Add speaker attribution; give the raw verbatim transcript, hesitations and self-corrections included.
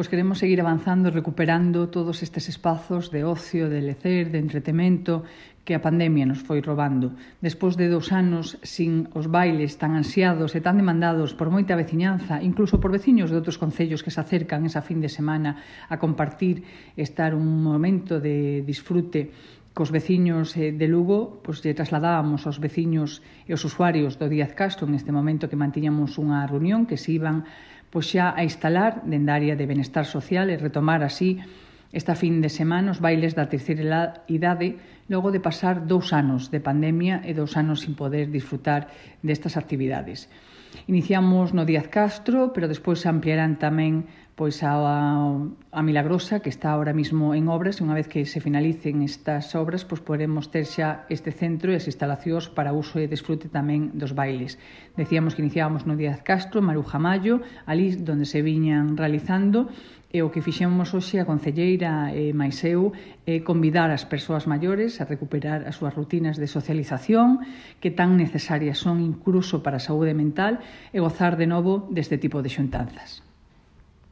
Speaker 1: pois queremos seguir avanzando e recuperando todos estes espazos de ocio, de lecer, de entretemento que a pandemia nos foi robando. Despois de dous anos sin os bailes tan ansiados e tan demandados por moita veciñanza, incluso por veciños de outros concellos que se acercan esa fin de semana a compartir, estar un momento de disfrute cos veciños de Lugo, pois lle trasladábamos aos veciños e aos usuarios do Díaz Castro neste momento que mantiñamos unha reunión que se iban pois xa a instalar dende a área de benestar social e retomar así esta fin de semana os bailes da terceira idade logo de pasar dous anos de pandemia e dous anos sin poder disfrutar destas actividades. Iniciamos no Díaz Castro, pero despois se ampliarán tamén pois a, a Milagrosa, que está ahora mismo en obras, e unha vez que se finalicen estas obras, pois poderemos ter xa este centro e as instalacións para uso e desfrute tamén dos bailes. Decíamos que iniciábamos no Díaz Castro, Maruja Mayo, ali donde se viñan realizando, e o que fixemos hoxe a concelleira e máis eu é convidar as persoas maiores a recuperar as súas rutinas de socialización que tan necesarias son incluso para a saúde mental e gozar de novo deste tipo de xuntanzas.